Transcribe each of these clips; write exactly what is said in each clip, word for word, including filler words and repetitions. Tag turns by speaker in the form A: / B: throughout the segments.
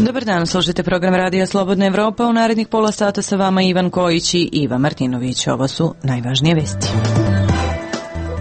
A: Dobar dan, slušajte program Radija Slobodna Evropa. U narednih pola sata sa vama Ivan Kojić i Iva Martinović. Ovo su najvažnije vesti.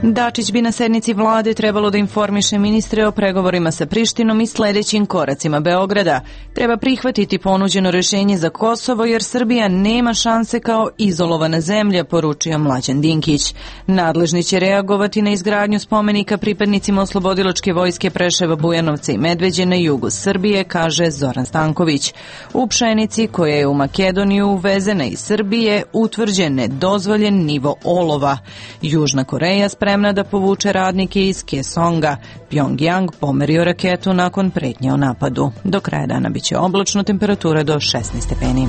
A: Dačić bi na sednici vlade trebalo da informiše ministre o pregovorima sa Prištinom i sledećim koracima Beograda. Treba prihvatiti ponuđeno rešenje za Kosovo jer Srbija nema šanse kao izolovana zemlja, poručio Mlađan Dinkić. Nadležni će reagovati na izgradnju spomenika pripadnicima oslobodilačke vojske Preševa, Bujanovca i Medveđe na jugu Srbije, kaže Zoran Stanković. U pšenici koja je u Makedoniju uvezena iz Srbije utvrđen nedozvoljen nivo olova. Južna Koreja spremna da povuče radnike iz Kesonga. Pjongjang pomerio raketu nakon pretnje o napadu. Do kraja dana biće oblačno, temperatura do šesnaest stepeni.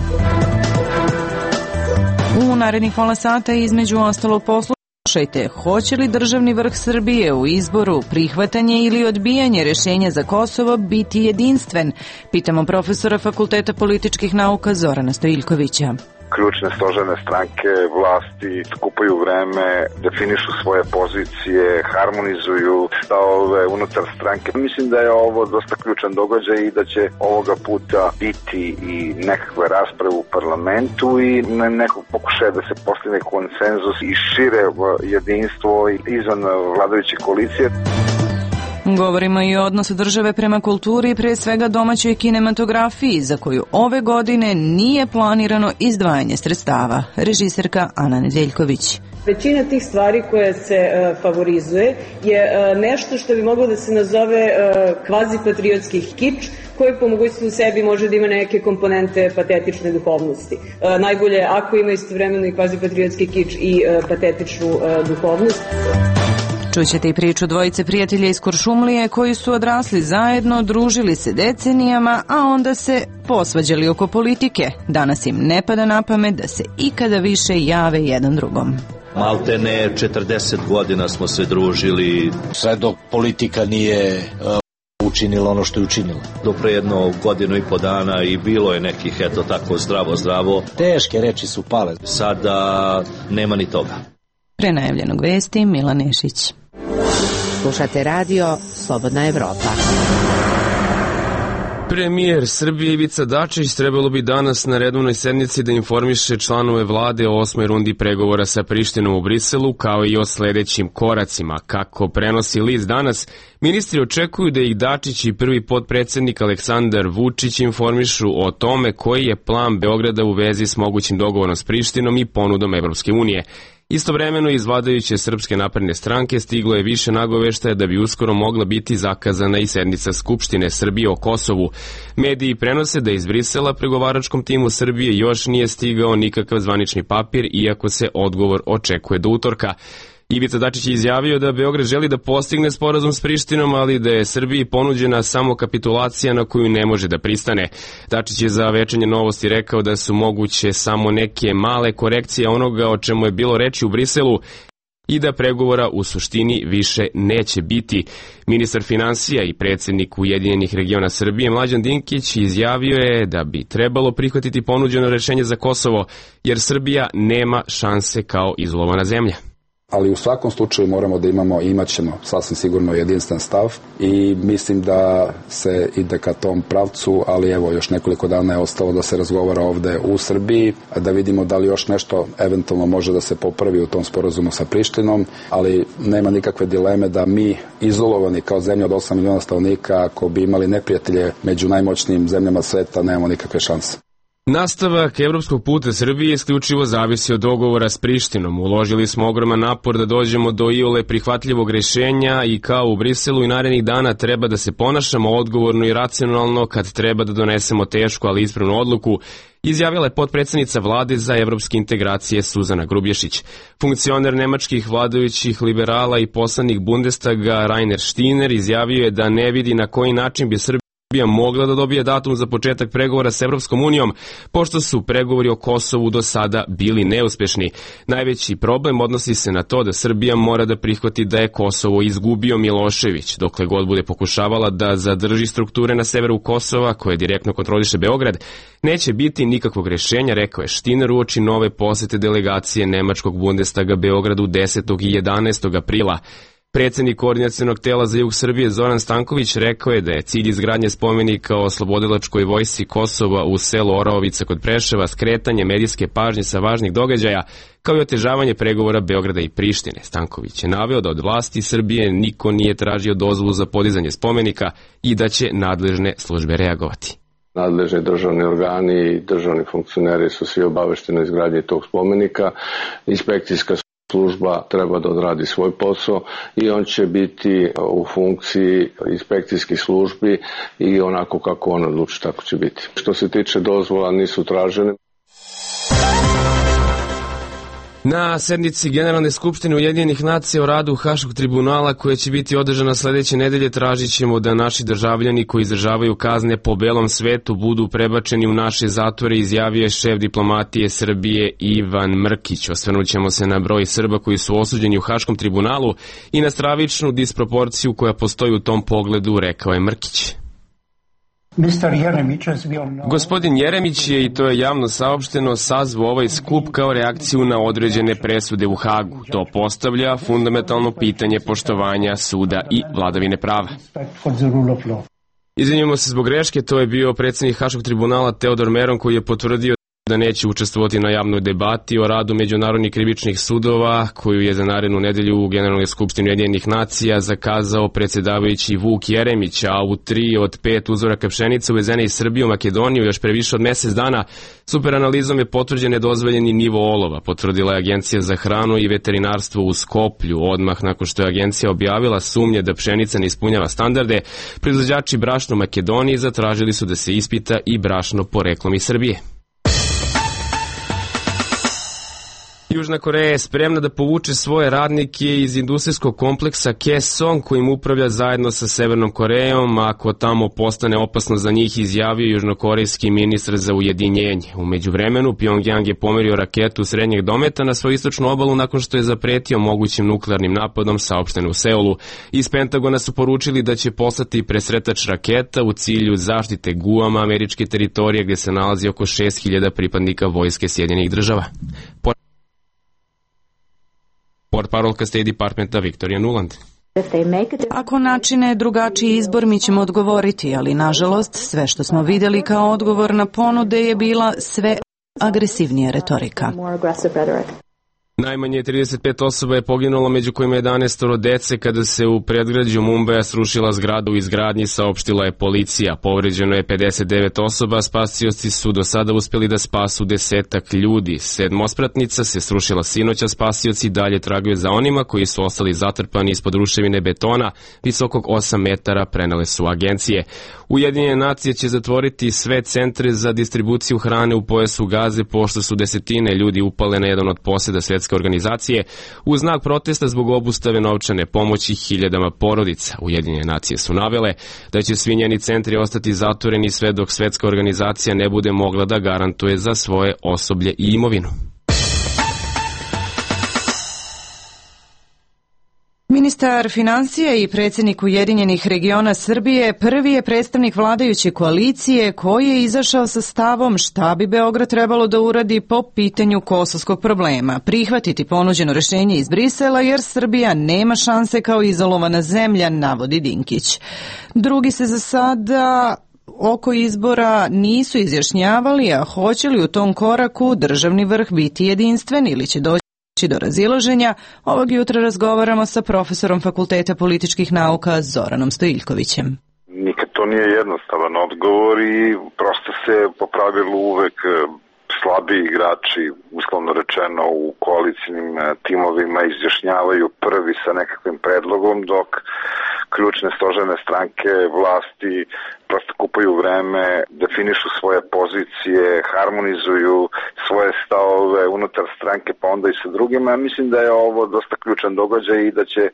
A: U narednih pola sata između ostalo poslušajte, hoće li državni vrh Srbije u izboru prihvatanje ili odbijanje rešenja za Kosovo biti jedinstven? Pitamo profesora Fakulteta političkih nauka Zorana Stojiljkovića.
B: Ključne stožerne stranke vlasti skupaju vreme, definišu svoje pozicije, harmonizuju stavove unutar stranke. Mislim da je ovo dosta ključan događaj i da će ovoga puta biti i nekakve rasprave u parlamentu i nekog pokušaja da se postigne konsenzus i šire jedinstvo izvan vladajuće koalicije.
A: Govorimo i o odnosu države prema kulturi i pre svega domaćoj kinematografiji, za koju ove godine nije planirano izdvajanje sredstava. Režiserka Ana Nedeljković.
C: Većina tih stvari koje se uh, favorizuje je uh, nešto što bi moglo da se nazove uh, kvazi-patriotski kič, koji po mogućnosti u sebi može da ima neke komponente patetične duhovnosti. Uh, najbolje ako ima istovremeno i kvazi-patriotski kič i uh, patetičnu uh, duhovnost.
A: Čućete i priču dvojice prijatelja iz Kuršumlije koji su odrasli zajedno, družili se decenijama, a onda se posvađali oko politike. Danas im ne pada na pamet da se ikada više jave jedan drugom.
D: Maltene četrdeset godina smo se družili.
E: Sve dok politika nije uh, učinila ono što je učinila.
D: Do pre jedno godinu i po dana i bilo je nekih, eto tako, zdravo, zdravo.
E: Teške reči su pale.
D: Sada nema ni toga.
A: Pre najavljenog vesti, Milan Nešić.
F: Slušate radio Slobodna Evropa.
G: Premijer Srbije Ivica Dačić trebalo bi danas na redovnoj sednici da informiše članove vlade o osmoj rundi pregovora sa Prištinom u Briselu, kao i o sledećim koracima. Kako prenosi list danas, ministri očekuju da ih Dačić i prvi potpredsednik Aleksandar Vučić informišu o tome koji je plan Beograda u vezi s mogućim dogovorom s Prištinom i ponudom Evropske unije. Istovremeno iz vladajuće Srpske napredne stranke stiglo je više nagoveštaja da bi uskoro mogla biti zakazana i sednica Skupštine Srbije o Kosovu. Mediji prenose da iz Brisela pregovaračkom timu Srbije još nije stigao nikakav zvanični papir, iako se odgovor očekuje do utorka. Ivica Dačić je izjavio da Beograd želi da postigne sporazum s Prištinom, ali da je Srbiji ponuđena samo kapitulacija na koju ne može da pristane. Dačić je za Večernje novosti rekao da su moguće samo neke male korekcije onoga o čemu je bilo reči u Briselu i da pregovora u suštini više neće biti. Ministar finansija i predsjednik Ujedinjenih regiona Srbije Mlađan Dinkić izjavio je da bi trebalo prihvatiti ponuđeno rešenje za Kosovo, jer Srbija nema šanse kao izolovana zemlja.
H: Ali u svakom slučaju moramo da imamo i imat ćemo sasvim sigurno jedinstven stav i mislim da se ide ka tom pravcu, ali evo još nekoliko dana je ostalo da se razgovara ovde u Srbiji, da vidimo da li još nešto eventualno može da se popravi u tom sporazumu sa Prištinom, ali nema nikakve dileme da mi izolovani kao zemlja od osam miliona stanovnika, ako bi imali neprijatelje među najmoćnijim zemljama sveta, nemamo nikakve šanse.
G: Nastavak evropskog puta Srbije isključivo zavisi od dogovora s Prištinom. Uložili smo ogroman napor da dođemo do iole prihvatljivog rešenja i kao u Briselu i narednih dana treba da se ponašamo odgovorno i racionalno kad treba da donesemo tešku ali ispravnu odluku, izjavila je potpredsednica vlade za evropske integracije Suzana Grubješić. Funkcioner nemačkih vladajućih liberala i poslanik Bundestaga Rainer Stiner izjavio je da ne vidi na koji način bi Srbija Srbija mogla da dobije datum za početak pregovora s Evropskom unijom, pošto su pregovori o Kosovu do sada bili neuspešni. Najveći problem odnosi se na to da Srbija mora da prihvati da je Kosovo izgubio Milošević, dokle god bude pokušavala da zadrži strukture na severu Kosova, koje direktno kontroliše Beograd. Neće biti nikakvog rešenja, rekao je Štiner uoči nove posete delegacije nemačkog Bundestaga Beogradu desetog i jedanaestog aprila. Predsednik koordinacionog tela za jug Srbije Zoran Stanković rekao je da je cilj izgradnje spomenika o oslobodilačkoj vojsci Kosova u selu Oraovica kod Preševa skretanje medijske pažnje sa važnih događaja, kao i otežavanje pregovora Beograda i Prištine. Stanković je naveo da od vlasti Srbije niko nije tražio dozvolu za podizanje spomenika i da će nadležne službe reagovati.
I: Nadležni državni organi i državni funkcioneri su svi obavešteni o izgradnji tog spomenika. Inspekcijska služba treba da odradi svoj posao i on će biti u funkciji inspekcijskih službi i onako kako on odluči, tako će biti. Što se tiče dozvola, nisu tražene.
G: Na sednici Generalne skupštine Ujedinjenih nacija o radu Haškog tribunala, koja će biti održana sledeće nedelje, tražit ćemo da naši državljani koji izdržavaju kazne po belom svetu budu prebačeni u naše zatvore, izjavio je šef diplomatije Srbije Ivan Mrkić. Osvrnut ćemo se na broj Srba koji su osuđeni u Haškom tribunalu i na stravičnu disproporciju koja postoji u tom pogledu, rekao je Mrkić. Gospodin Jeremić je, i to je javno saopšteno, sazvao ovaj skup kao reakciju na određene presude u Hagu. To postavlja fundamentalno pitanje poštovanja suda i vladavine prava. Izvinjamo se zbog greške, to je bio predsednik Haškog tribunala Teodor Meron, koji je potvrdio da neće učestvovati na javnoj debati o radu međunarodnih krivičnih sudova, koju je za narednu nedelju u Generalnoj skupštini Ujedinjenih nacija zakazao predsedavajući Vuk Jeremić, a u tri od pet uzoraka pšenice uvezene iz Srbije u Makedoniju još pre više od mesec dana superanalizom je potvrđen nedozvoljeni nivo olova, potvrdila je Agencija za hranu i veterinarstvo u Skoplju. Odmah nakon što je agencija objavila sumnje da pšenica ne ispunjava standarde, proizvođači brašna u Makedoniji zatražili su da se ispita i brašno poreklom iz Srbije. Južna Koreja je spremna da povuče svoje radnike iz industrijskog kompleksa Kaesong, kojim upravlja zajedno sa Severnom Korejom, ako tamo postane opasno za njih, izjavio južnokorejski ministar za ujedinjenje. U međuvremenu, Pjongjang je pomerio raketu srednjeg dometa na svoju istočnu obalu nakon što je zapretio mogućim nuklearnim napadom, saopšteno u Seulu. Iz Pentagona su poručili da će poslati presretač raketa u cilju zaštite Guama, američke teritorije, gde se nalazi oko šest hiljada pripadnika vojske Sjedinjenih država. Portparolka State Departmenta Victoria Nuland.
A: Ako načine drugačiji izbor, mi ćemo odgovoriti, ali nažalost sve što smo videli kao odgovor na ponude je bila sve agresivnija retorika.
G: Najmanje trideset pet osoba je poginulo, među kojima jedanaest dece, kada se u predgrađu Mumbaja srušila zgrada u izgradnji, saopštila je policija. Povređeno je pedeset devet osoba, spasioci su do sada uspeli da spasu desetak ljudi. Sedmospratnica se srušila sinoć, a spasioci dalje tragaju za onima koji su ostali zatrpani ispod ruševine betona visokog osam metara, prenele su agencije. Ujedinjene nacije će zatvoriti sve centre za distribuciju hrane u pojasu Gaze, pošto su desetine ljudi upale na jedan od poseda Svetske organizacije u znak protesta zbog obustave novčane pomoći hiljadama porodica. Ujedinjene nacije su navele da će svi njeni centri ostati zatvoreni sve dok Svetska organizacija ne bude mogla da garantuje za svoje osoblje i imovinu.
A: Ministar finansija i predsjednik Ujedinjenih regiona Srbije prvi je predstavnik vladajuće koalicije koji je izašao sa stavom šta bi Beograd trebalo da uradi po pitanju kosovskog problema, prihvatiti ponuđeno rešenje iz Brisela jer Srbija nema šanse kao izolovana zemlja, navodi Dinkić. Drugi se za sada oko izbora nisu izjašnjavali, a hoće li u tom koraku državni vrh biti jedinstven ili će doći do razilaženja. Ovog jutra razgovaramo sa profesorom Fakulteta političkih nauka Zoranom Stojiljkovićem.
B: Nikad to nije jednostavan odgovor i prosto se po pravilu uvek slabiji igrači, uslovno rečeno, u koalicijnim timovima izjašnjavaju prvi sa nekakvim predlogom, dok ključne stožerne stranke vlasti prosto kupaju vreme, definišu svoje pozicije, harmonizuju svoje stavove unutar stranke pa onda i sa drugima. Mislim da je ovo dosta ključan događaj i da će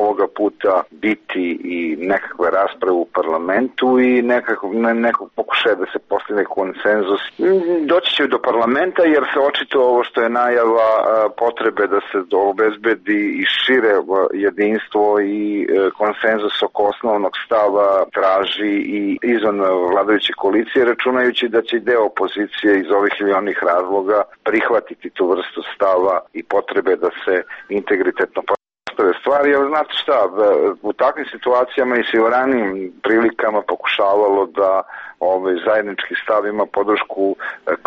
B: ovoga puta biti i nekakve rasprave u parlamentu i nekako, ne, nekog pokušaja da se postigne konsenzus. Doći će do parlamenta jer se očito ovo što je najava potrebe da se obezbedi i šire jedinstvo i konsenzus oko osnovnog stava traži i izvan vladajuće koalicije, računajući da će deo opozicije iz ovih ili onih razloga prihvatiti tu vrstu stava i potrebe da se integritetno pojednostave stvari, ali znate šta, u takvim situacijama i se u ranijim prilikama pokušavalo da ovaj zajednički stav ima podršku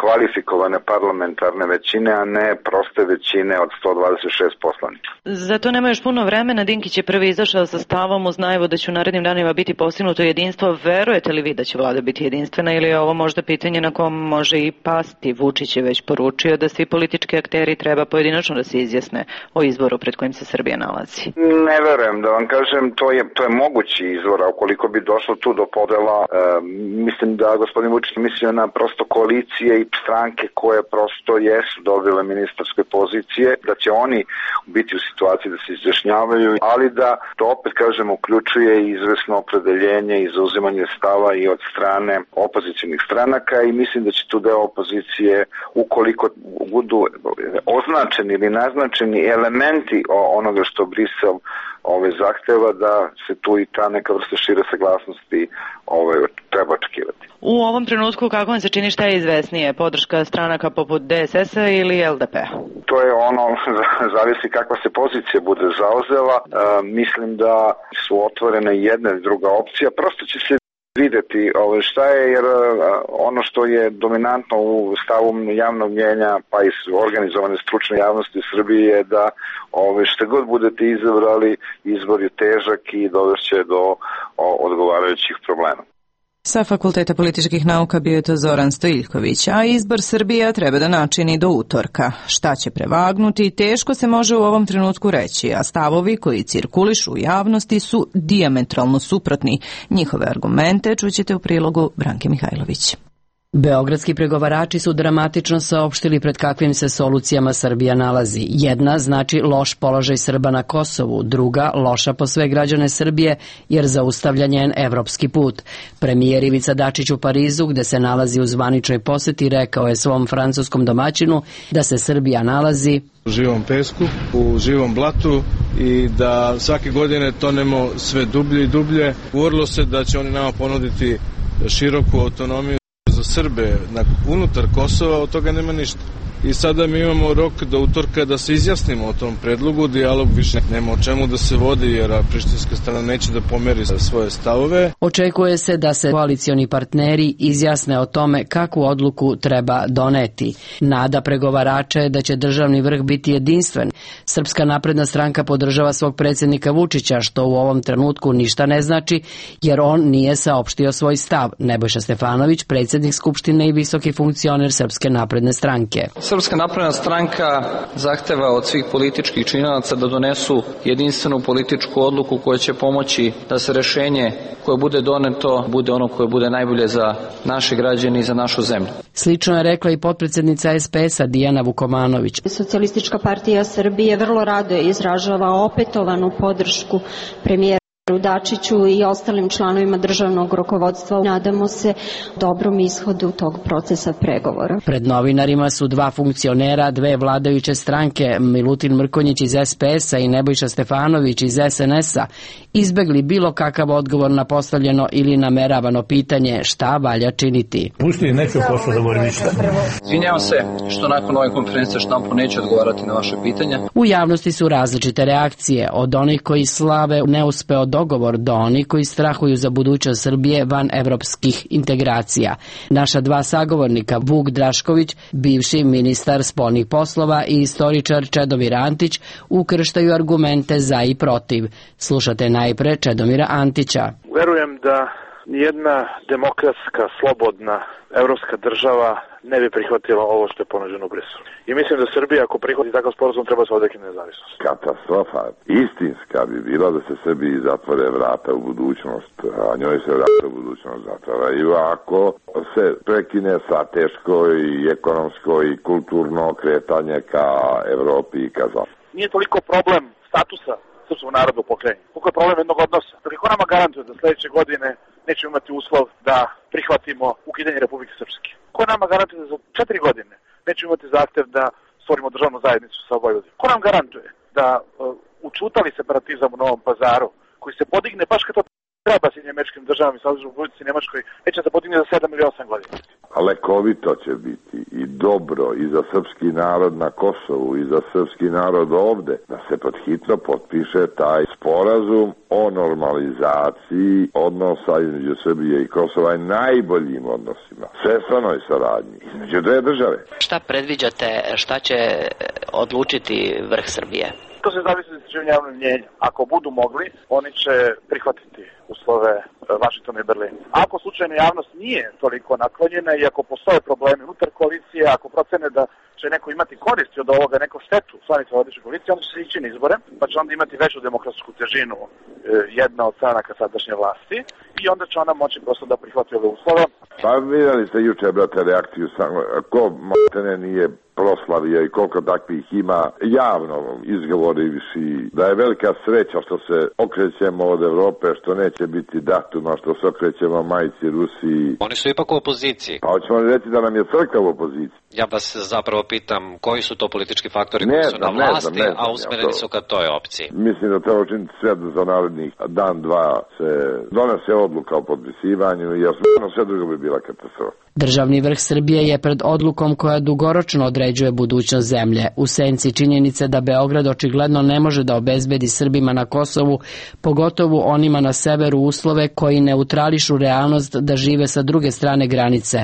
B: kvalifikovane parlamentarne većine, a ne proste većine od sto dvadeset šest poslanika.
A: Zato nema još puno vremena. Dinkić je prvi izašao sa stavom uz najavu da će u narednim danima biti postignuto jedinstvo. Verujete li vi da će vlada biti jedinstvena ili je ovo možda pitanje na kom može i pasti? Vučić je već poručio da svi politički akteri treba pojedinačno da se izjasne o izboru pred kojim se Srbija nalazi.
B: Ne verujem, da vam kažem, to je, to je mogući izvor, a ukoliko bi došlo tu do podela, e, mislim da gospodin Vučić mislio na prosto koalicije i stranke koje prosto jesu dobile ministarske pozicije, da će oni biti u situaciji da se izjašnjavaju, ali da to opet, kažem, uključuje izvesno opredeljenje i zauzimanje stava i od strane opozicijnih stranaka i mislim da će tu deo opozicije, ukoliko budu označeni ili naznačeni elementi onoga što Brisel ove zahteva, da se tu i ta neka vrsta šire saglasnosti ove treba očekivati.
A: U ovom trenutku kako vam se čini, šta je izvesnije? Podrška stranaka poput D S S-a ili L D P-a?
B: To je ono, zavisi kakva se pozicija bude zauzela. E, mislim da su otvorene jedna i druga opcija. Prosto će se videti ove, šta je, jer ono što je dominantno u stavu javnog mnjenja, pa i organizovane stručne javnosti u Srbiji je da ove, šta god budete izabrali, izbor je težak i dovešće do o, odgovarajućih problema.
A: Sa Fakulteta političkih nauka bio je to Zoran Stojiljković, a izbor Srbija treba da načini do utorka. Šta će prevagnuti, teško se može u ovom trenutku reći, a stavovi koji cirkulišu u javnosti su dijametralno suprotni. Njihove argumente čućete u prilogu Branke Mihajlović.
J: Beogradski pregovarači su dramatično saopštili pred kakvim se solucijama Srbija nalazi. Jedna znači loš položaj Srba na Kosovu, druga loša po sve građane Srbije jer zaustavlja njen evropski put. Premijer Ivica Dačić u Parizu, gde se nalazi u zvaničnoj poseti, rekao je svom francuskom domaćinu da se Srbija nalazi
K: u živom pesku, u živom blatu i da svake godine tonemo sve dublje i dublje. Govorilo se da će oni nama ponuditi široku autonomiju za Srbe unutar Kosova, od toga nema ništa. I sada mi imamo rok do utorka da se izjasnimo o tom predlogu, dijalog više nema o čemu da se vodi jer prištinska strana neće da pomeri svoje stavove.
J: Očekuje se da se koalicioni partneri izjasne o tome kakvu odluku treba doneti. Nada pregovarača je da će državni vrh biti jedinstven. Srpska napredna stranka podržava svog predsjednika Vučića, što u ovom trenutku ništa ne znači, jer on nije saopštio svoj stav. Nebojša Stefanović, predsjednik Skupštine i visoki funkcioner Srpske napredne stranke.
L: Srpska napredna stranka zahteva od svih političkih činilaca da donesu jedinstvenu političku odluku koja će pomoći da se rešenje koje bude doneto bude ono koje bude najbolje za naše građane i za našu zemlju.
J: Slično je rekla i potpredsjednica S P S-a Dijana Vukomanović.
M: Socijalistička partija Srbije vrlo rado izražava opetovanu podršku premijera Dačiću i ostalim članovima državnog rukovodstva. Nadamo se dobrom ishodu tog procesa pregovora.
J: Pred novinarima su dva funkcionera, dve vladajuće stranke, Milutin Mrkonjić iz S P S-a i Nebojša Stefanović iz S N S-a, izbegli bilo kakav odgovor na postavljeno ili nameravano pitanje šta valja činiti.
N: Pusti, neću posle da govorim ništa.
L: Izvinjavam se što nakon ove konferencije štampu neću odgovarati na vaše pitanja.
J: U javnosti su različite reakcije, od onih koji slave neuspeo dogovor do onih koji strahuju za budućnost Srbije van evropskih integracija. Naša dva sagovornika, Vuk Drašković, bivši ministar spoljnih poslova i istoričar Čedomir Antić, ukrštaju argumente za i protiv. Slušate najpre Čedomira Antića.
O: Verujem da nijedna demokratska, slobodna evropska država ne bi prihvatila ovo što je ponuđeno u Briselu. I mislim da Srbija, ako prihvati takav sporazum, treba se odrekne nezavisnost.
P: Katastrofa istinska bi bila da se Srbiji zatvore vrata u budućnost, a njoj se vrata u budućnost zatvaraju ako se prekine sa teško i ekonomsko i kulturno kretanje ka Evropi i ka Zapadu.
O: Nije toliko problem statusa srpskog naroda u pokrajini, koliko je problem jednog odnosa. Dakle, ko nama garantuje da sledeće godine nećemo imati uslov da prihvatimo ukidanje Republike Srpske? Ko nama garantuje da za četiri godine nećemo imati zahtev da stvorimo državnu zajednicu sa Vojvodinom? Ko nam garantuje da uh, učutali separatizam u Novom Pazaru, koji se podigne baš kad to treba Sjedinjenim Američkim Državama i Saveznoj Republici Nemačkoj, neće se podigne za sedam ili osam godina?
P: lekovito će biti i dobro i za srpski narod na Kosovu i za srpski narod ovde, da se pod hitno potpiše taj sporazum o normalizaciji odnosa između Srbije i Kosova i najboljim odnosima, svestranoj saradnji između dve države.
Q: Šta predviđate, šta će odlučiti vrh Srbije?
O: To se zavisi od istraživanja javnog mnjenja. Ako budu mogli, oni će prihvatiti uslove Vašingtona i Berlina. Ako slučajno javnost nije toliko naklonjena i ako postoje problemi unutar koalicije, ako procene da će neko imati koristi od ovoga, neko štetu članica vladajuće koalicije, onda će se ići na izbore, pa će onda imati veću demokratsku težinu jedna od stranaka sadašnje vlasti i onda će ona moći prosto da prihvati ove uslove.
P: Pa vidjeli ste juče, brate, reakciju samo, ko matene nije proslavio i koliko takvih ima javno izgovorivši da je velika sreća što se okrećemo od Evrope, što neće biti datuma, što se okrećemo majci Rusiji.
Q: Oni su ipak u opoziciji.
P: Pa hoćemo li reći da nam je crkva u opoziciji?
Q: Ja vas zapravo pitam koji su to politički faktori koji su na vlasti, a usmereni su ka toj opciji.
P: Mislim da treba učiniti sve za narednih dan, dva se donese odluka o potpisivanju, jer sve drugo bi bila katastrofa.
J: Državni vrh Srbije je pred odlukom koja dugoročno određuje budućnost zemlje. U senci činjenice da Beograd očigledno ne može da obezbedi Srbima na Kosovu, pogotovo onima na severu, uslove koji neutrališu realnost da žive sa druge strane granice.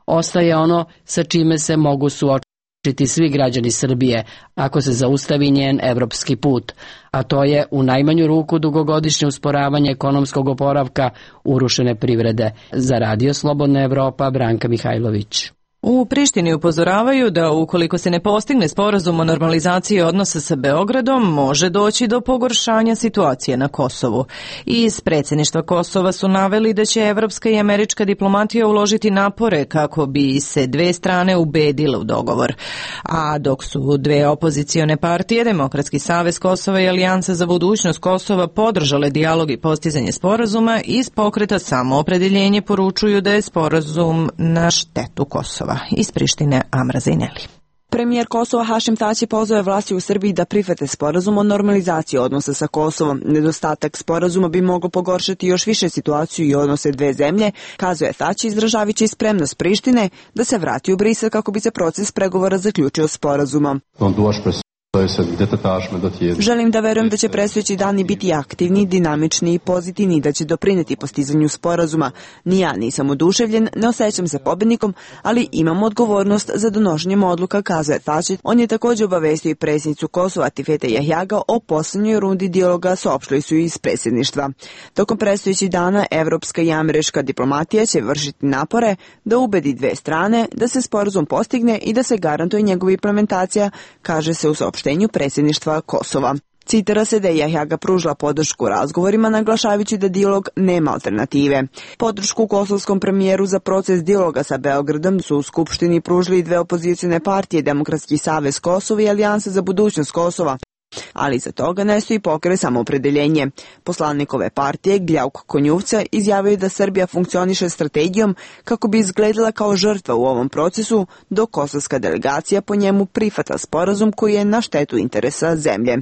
J: Ostaje ono sa čime se mogu suočiti svi građani Srbije ako se zaustavi njen evropski put, a to je u najmanju ruku dugogodišnje usporavanje ekonomskog oporavka urušene privrede. Za Radio Slobodna Evropa, Branka Mihajlović.
A: U Prištini upozoravaju da ukoliko se ne postigne sporazum o normalizaciji odnosa sa Beogradom, može doći do pogoršanja situacije na Kosovu. Iz predsjedništva Kosova su naveli da će evropska i američka diplomatija uložiti napore kako bi se dve strane ubedile u dogovor. A dok su dve opozicione partije, Demokratski savez Kosova i Alijansa za budućnost Kosova, podržale dijalog i postizanje sporazuma, iz pokreta Samoopredeljenje poručuju da je sporazum na štetu Kosova. Iz Prištine, Amra Zajneli.
R: Premijer Kosova Hašim Tači pozvao je vlasti u Srbiji da prihvate sporazum o normalizaciji odnosa sa Kosovom. Nedostatak sporazuma bi mogao pogoršati još više situaciju i odnose dve zemlje, kazuje Tači, izražavajući spremnost Prištine da se vrati u Brisel kako bi se proces pregovora zaključio sporazumom. Želim da verujem da će predstojeći dani biti aktivni, dinamični i pozitivni, da će doprineti postizanju sporazuma. Ni ja nisam oduševljen, ne osjećam se pobednikom, ali imam odgovornost za donošenjem odluka, kazuje Tači. On je također obavestio i predsjednicu Kosova Tifete Jahjaga o posljednjoj rundi dijaloga, saopštili su iz predsjedništva. Tokom predstojećih dana evropska i američka diplomatija će vršiti napore da ubedi dve strane da se sporazum postigne i da se garantuje njegova implementacija, kaže se u saopštenju predsjedništva Kosova. Citira se da je Jahjaga pružila podršku razgovorima, naglašavajući da dijalog nema alternative. Podršku kosovskom premijeru za proces dijaloga sa Beogradom su u Skupštini pružili dve opozicione partije, Demokratski savez Kosova i Alijansa za budućnost Kosova. Ali iza toga ne stoji pokret Samoopredeljenje. Poslanik ove partije, Gljauk Konjuvca, izjavio da Srbija funkcioniše strategijom kako bi izgledala kao žrtva u ovom procesu, dok kosovska delegacija po njemu prihvata sporazum koji je na štetu interesa zemlje.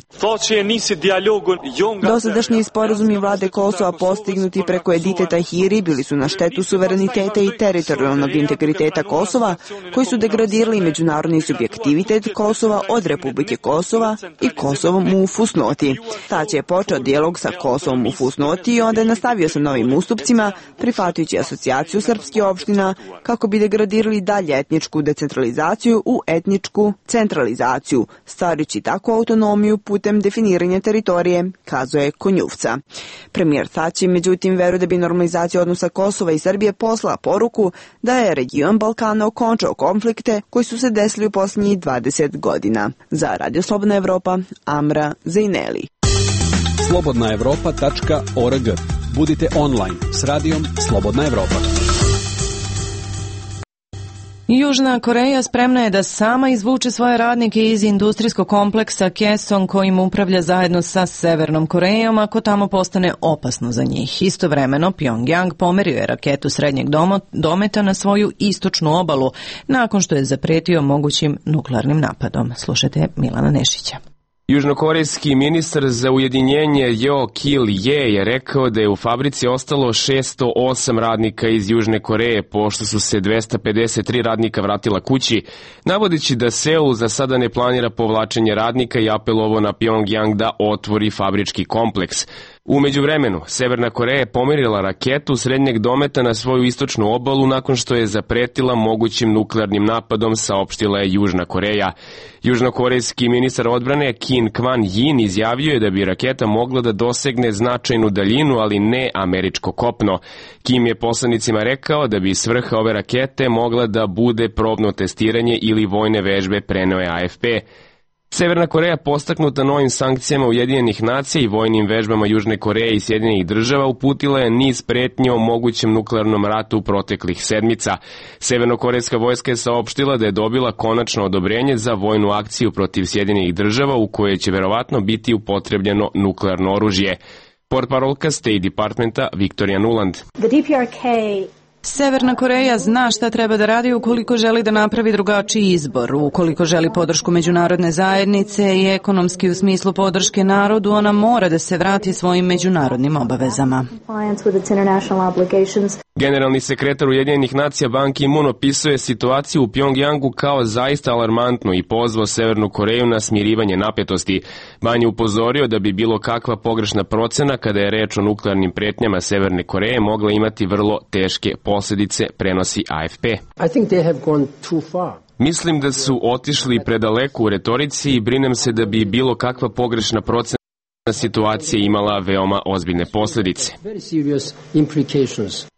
R: Dosadašnji sporazumi vlade Kosova postignuti preko Edite Tahiri bili su na štetu suvereniteta i teritorijalnog integriteta Kosova, koji su degradirali međunarodni subjektivitet Kosova od Republike Kosova i Kosovom u fusnoti. Tači je počeo dijalog sa Kosovom u fusnoti i onda je nastavio sa novim ustupcima, prihvatajući asocijaciju srpskih opština kako bi degradirali dalje etničku decentralizaciju u etničku centralizaciju, stvarajući takvu autonomiju putem definiranja teritorije, kazuje Konjuvca. Premijer Tači, međutim, veruje da bi normalizacija odnosa Kosova i Srbije poslala poruku da je region Balkana okončao konflikte koji su se desili u posljednjih dvadeset godina. Za Radio Slobodna Evropa, Amra Zajneli.
S: slobodna evropa tačka org. Budite online s radijom Slobodna Evropa.
A: Južna Koreja spremna je da sama izvuče svoje radnike iz industrijskog kompleksa Kaesong kojim upravlja zajedno sa Severnom Korejom ako tamo postane opasno za njih. Istovremeno Pyongyang pomerio je raketu srednjeg dometa na svoju istočnu obalu nakon što je zapretio mogućim nuklearnim napadom. Slušajte Milana Nešića.
G: Južnokorejski ministar za ujedinjenje Jo Kil-je je rekao da je u fabrici ostalo šesto osam radnika iz Južne Koreje, pošto su se dvesta pedeset tri radnika vratila kući, navodeći da Seul za sada ne planira povlačenje radnika i apelovao na Pjongjang da otvori fabrički kompleks. U međuvremenu, Severna Koreja je pomerila raketu srednjeg dometa na svoju istočnu obalu nakon što je zapretila mogućim nuklearnim napadom, saopštila je Južna Koreja. Južnokorejski ministar odbrane Kim Kwan-yin izjavio je da bi raketa mogla da dosegne značajnu daljinu, ali ne američko kopno. Kim je poslanicima rekao da bi svrha ove rakete mogla da bude probno testiranje ili vojne vežbe, preneo je A F P. Severna Koreja, postaknuta novim sankcijama Ujedinjenih nacija i vojnim vežbama Južne Koreje i Sjedinjenih država, uputila je niz pretnji o mogućem nuklearnom ratu u proteklih sedmica. Severnokorejska vojska je saopštila da je dobila konačno odobrenje za vojnu akciju protiv Sjedinjenih država u kojoj će verovatno biti upotrebljeno nuklearno oružje. Portparolka State Departmenta Victoria Nuland.
T: The D P R K
A: Severna Koreja zna šta treba da radi ukoliko želi da napravi drugačiji izbor. Ukoliko želi podršku međunarodne zajednice i ekonomski u smislu podrške narodu, ona mora da se vrati svojim međunarodnim obavezama.
G: Generalni sekretar Ujedinjenih nacija Ban Ki-moon opisuje situaciju u Pjongjangu kao zaista alarmantnu i pozvao Severnu Koreju na smirivanje napetosti. Ban je upozorio da bi bilo kakva pogrešna procena kada je reč o nuklearnim pretnjama Severne Koreje mogla imati vrlo teške posljedice, prenosi A F P.
T: I think they have gone too far.
G: Mislim da su otišli predaleko u retorici i brinem se da bi bilo kakva pogrešna procena situacija imala veoma ozbiljne posljedice.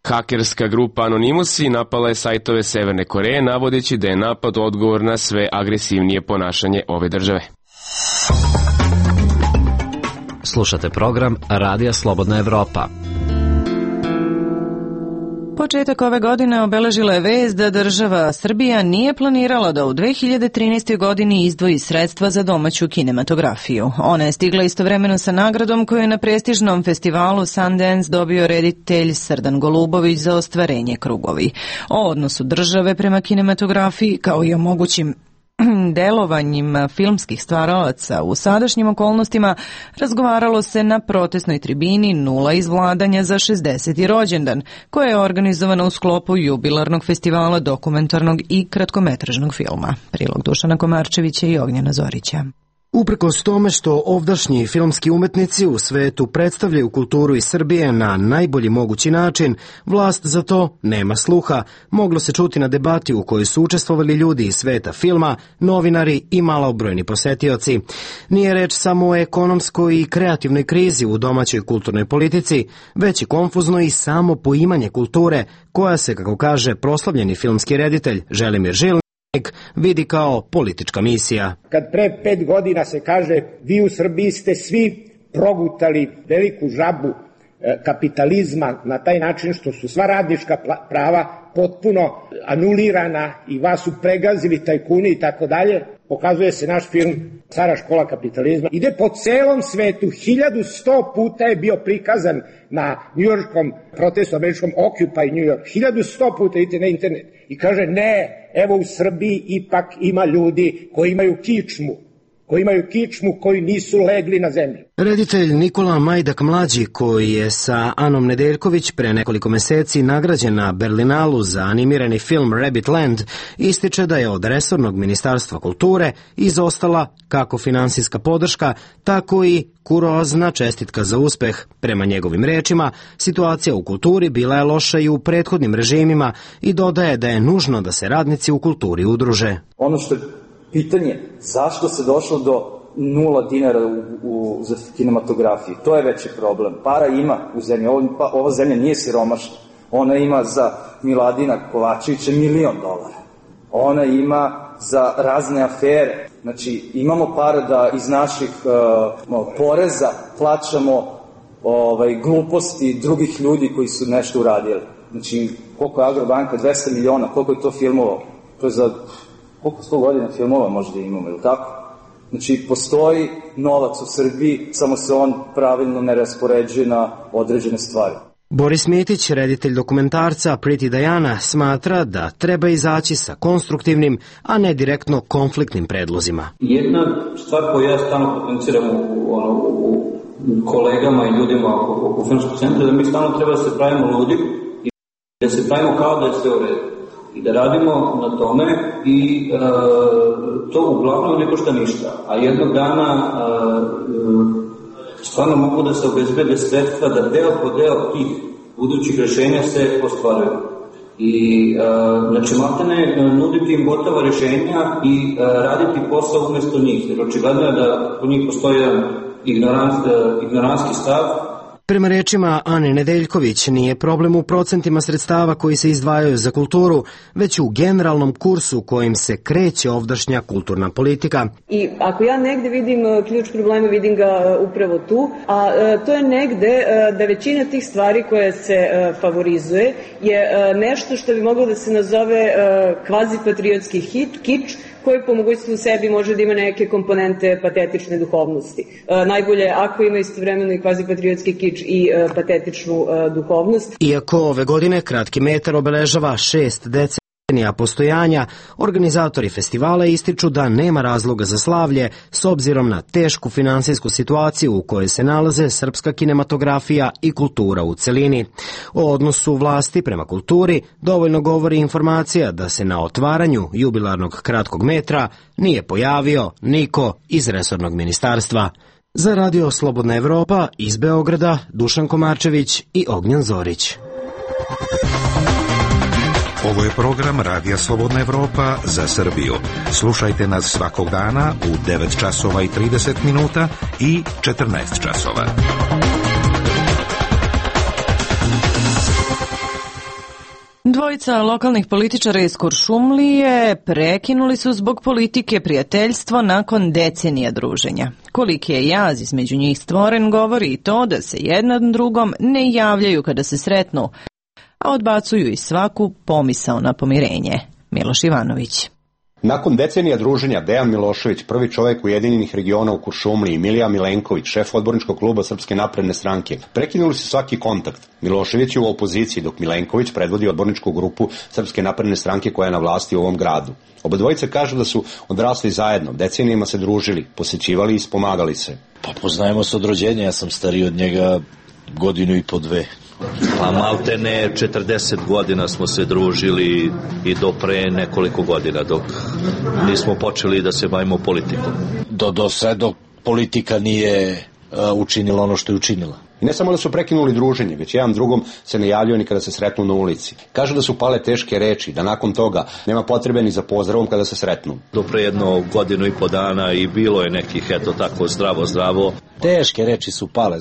G: Hakerska grupa Anonymous napala je sajtove Severne Koreje, navodeći da je napad odgovor na sve agresivnije ponašanje ove države.
U: Slušate program Radija Slobodna Evropa.
A: Početak ove godine obeležila je vest da država Srbija nije planirala da u dve hiljade trinaestoj. godini izdvoji sredstva za domaću kinematografiju. Ona je stigla istovremeno sa nagradom koju je na prestižnom festivalu Sundance dobio reditelj Srdan Golubović za ostvarenje Krugovi. O odnosu države prema kinematografiji, kao i o mogućim delovanjima filmskih stvaralaca u sadašnjim okolnostima razgovaralo se na protestnoj tribini Nula iz vladanja za šezdeseti rođendan, koja je organizovana u sklopu jubilarnog festivala dokumentarnog i kratkometražnog filma. Prilog Dušana Komarčevića i Ognjena Zorića.
V: Uprkos tome što ovdašnji filmski umetnici u svetu predstavljaju kulturu iz Srbije na najbolji mogući način, vlast za to nema sluha. Moglo se čuti na debati u kojoj su učestvovali ljudi iz sveta filma, novinari i malobrojni posetioci. Nije reč samo o ekonomskoj i kreativnoj krizi u domaćoj kulturnoj politici, već i konfuzno i samo poimanje kulture, koja se, kako kaže proslavljeni filmski reditelj Želimir Žilnik, vidi kao politička misija.
W: Kad pre pet godina se kaže vi u Srbiji ste svi progutali veliku žabu kapitalizma na taj način što su sva radnička prava potpuno anulirana i vas su pregazili tajkuni i tako dalje, pokazuje se naš film Stara škola kapitalizma. Ide po celom svetu, hiljadu sto puta je bio prikazan na njujorškom protestu, američkom Occupy New York, hiljadu sto puta idete na internet i kaže ne, evo u Srbiji ipak ima ljudi koji imaju kičmu, koji imaju kičmu, koji nisu legli na zemlju.
V: Reditelj Nikola Majdak mlađi, koji je sa Anom Nedeljković pre nekoliko meseci nagrađen na Berlinalu za animirani film Rabbit Land, ističe da je od resornog ministarstva kulture izostala kako finansijska podrška, tako i kurozna čestitka za uspeh. Prema njegovim rečima, situacija u kulturi bila je loša i u prethodnim režimima i dodaje da je nužno da se radnici u kulturi udruže.
X: Ono što je pitanje, zašto se došlo do nula dinara u, u, za kinematografiju? To je veći problem. Para ima u zemlji. Ovo, pa, ova zemlja nije siromašna. Ona ima za Miladina Kovačevića milion dolara. Ona ima za razne afere. Znači, imamo para da iz naših uh, poreza plaćamo ovaj, gluposti drugih ljudi koji su nešto uradili. Znači, koliko je Agrobanka? dvesta miliona. Koliko je to filmova? To je za... Koliko sto godina filmova možda imamo, ili tako? Znači, postoji novac u Srbiji, samo se on pravilno ne raspoređuje na određene stvari.
V: Boris Mitić, reditelj dokumentarca Pretty Diana, smatra da treba izaći sa konstruktivnim, a ne direktno konfliktnim predlozima.
C: Jedna stvar koju ja stalno potenciram u, ono, u kolegama i ljudima oko filmskog centra, da mi stalno treba da se pravimo ludi i da se pravimo kao da je sve u redu. I da radimo na tome i e, to uglavnom ne košta ništa. A jednog dana e, stvarno mogu da se obezbede sredstva da deo po deo tih budućih rešenja se ostvaruju. I e, znači maltene nuditi im gotova rešenja i e, raditi posao umesto njih. Jer očigledno je da po njih postoji jedan ignorans, ignoranski stav.
V: Prema rečima Ane Nedeljković, nije problem u procentima sredstava koji se izdvajaju za kulturu, već u generalnom kursu kojim se kreće ovdašnja kulturna politika.
D: I ako ja negde vidim ključ problema, vidim ga upravo tu, a to je negde da većina tih stvari koje se favorizuje je nešto što bi moglo da se nazove kvazi-patriotski hit, kič, koji po mogućstvu u sebi može da ima neke komponente patetične duhovnosti. E, najbolje ako ima istovremeno i kvazi-patriotski kič i e, patetičnu e, duhovnost.
V: Iako ove godine Kratki metar obeležava šest decenija postojanja, organizatori festivala ističu da nema razloga za slavlje s obzirom na tešku finansijsku situaciju u kojoj se nalaze srpska kinematografija i kultura u celini. O odnosu vlasti prema kulturi dovoljno govori informacija da se na otvaranju jubilarnog Kratkog metra nije pojavio niko iz resornog ministarstva. Za Radio Slobodna Evropa iz Beograda Dušan Komarčević i Ognjan Zorić.
E: Ovo je program Radija Slobodna Evropa za Srbiju. Slušajte nas svakog dana u devet časova i trideset minuta i četrnaest časova.
A: Dvojica lokalnih političara iz Kuršumlije prekinuli su zbog politike prijateljstvo nakon decenija druženja. Koliki je jaz između njih stvoren govori i to da se jedan drugom ne javljaju kada se sretnu, a odbacuju i svaku pomisao na pomirenje. Miloš Ivanović.
F: Nakon decenija druženja, Dejan Milošević, prvi čovjek Ujedinjenih regiona u Kuršumliji, i Milija Milenković, šef odborničkog kluba Srpske napredne stranke, prekinuli su svaki kontakt. Milošević je u opoziciji, dok Milenković predvodi odborničku grupu Srpske napredne stranke koja je na vlasti u ovom gradu. Oba dvojice kažu da su odrasli zajedno, decenijima se družili, posjećivali i spomagali se.
Y: Pa poznajemo se od rođenja, ja sam stariji od njega godinu i po dve.
Z: Pa malte ne, četrdeset godina smo se družili i do pre nekoliko godina, dok nismo počeli da se bavimo politikom.
Y: Do, do sve dok politika nije uh, učinila ono što je učinila.
F: I ne samo da su prekinuli druženje, već jedan drugom se ne javljaju ni kada se sretnu na ulici. Kažu da su pale teške reči, da nakon toga nema potrebe ni za pozdravom kada se sretnu.
Z: Do pre jedno godinu i po dana i bilo je nekih, eto tako, zdravo, zdravo.
Y: Teške reči su pale.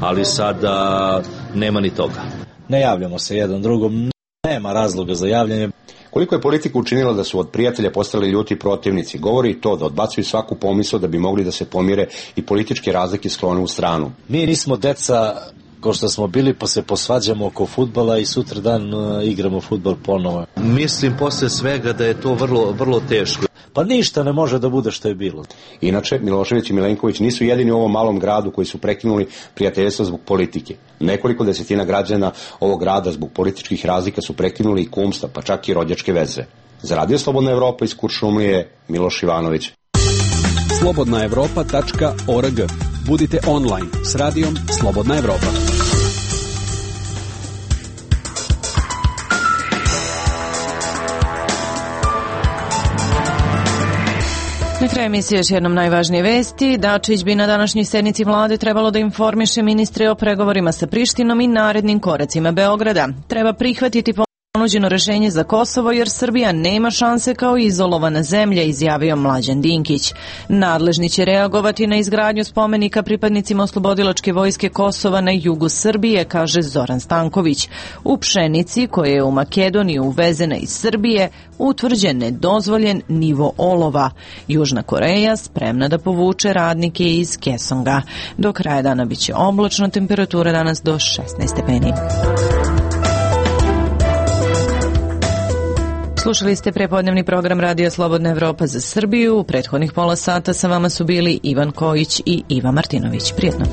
Z: Ali sada nema ni toga.
Y: Ne javljamo se jedan drugom, nema razloga za javljanje.
F: Koliko je politika učinila da su od prijatelja postali ljuti protivnici, govori i to da odbacuju svaku pomisao da bi mogli da se pomire i političke razlike sklone u stranu.
Y: Mi nismo deca ko što smo bili, pa se posvađamo oko fudbala i sutra dan uh, igramo fudbal ponovo.
Z: Mislim posle svega da je to vrlo, vrlo teško.
Y: Pa ništa ne može da bude što je bilo.
F: Inače, Milošević i Milenković nisu jedini u ovom malom gradu koji su prekinuli prijateljstvo zbog politike. Nekoliko desetina građana ovog grada zbog političkih razlika su prekinuli i kumstva, pa čak i rođačke veze. Za Radio Slobodna Evropa iz Kuršumlije, Miloš Ivanović.
S: slobodna evropa tačka org. Budite online s radijom Slobodna Evropa.
A: Na kraju emisije još jednom najvažnije vesti. Dačić bi na današnjoj sednici vlade trebalo da informiše ministre o pregovorima sa Prištinom i narednim koracima Beograda. Treba prihvatiti ponuđeno rešenje za Kosovo jer Srbija nema šanse kao izolovana zemlja, izjavio Mlađan Dinkić. Nadležni će reagovati na izgradnju spomenika pripadnicima oslobodilačke vojske Kosova na jugu Srbije, kaže Zoran Stanković. U pšenici koja je u Makedoniju uvezena iz Srbije utvrđen nedozvoljen nivo olova. Južna Koreja spremna da povuče radnike iz Kesonga. Do kraja dana biće oblačno, temperatura danas do šesnaest stepeni. Slušali ste prepodnevni program Radio Slobodna Evropa za Srbiju. U prethodnih pola sata sa vama su bili Ivan Kojić i Iva Martinović. Prijetno.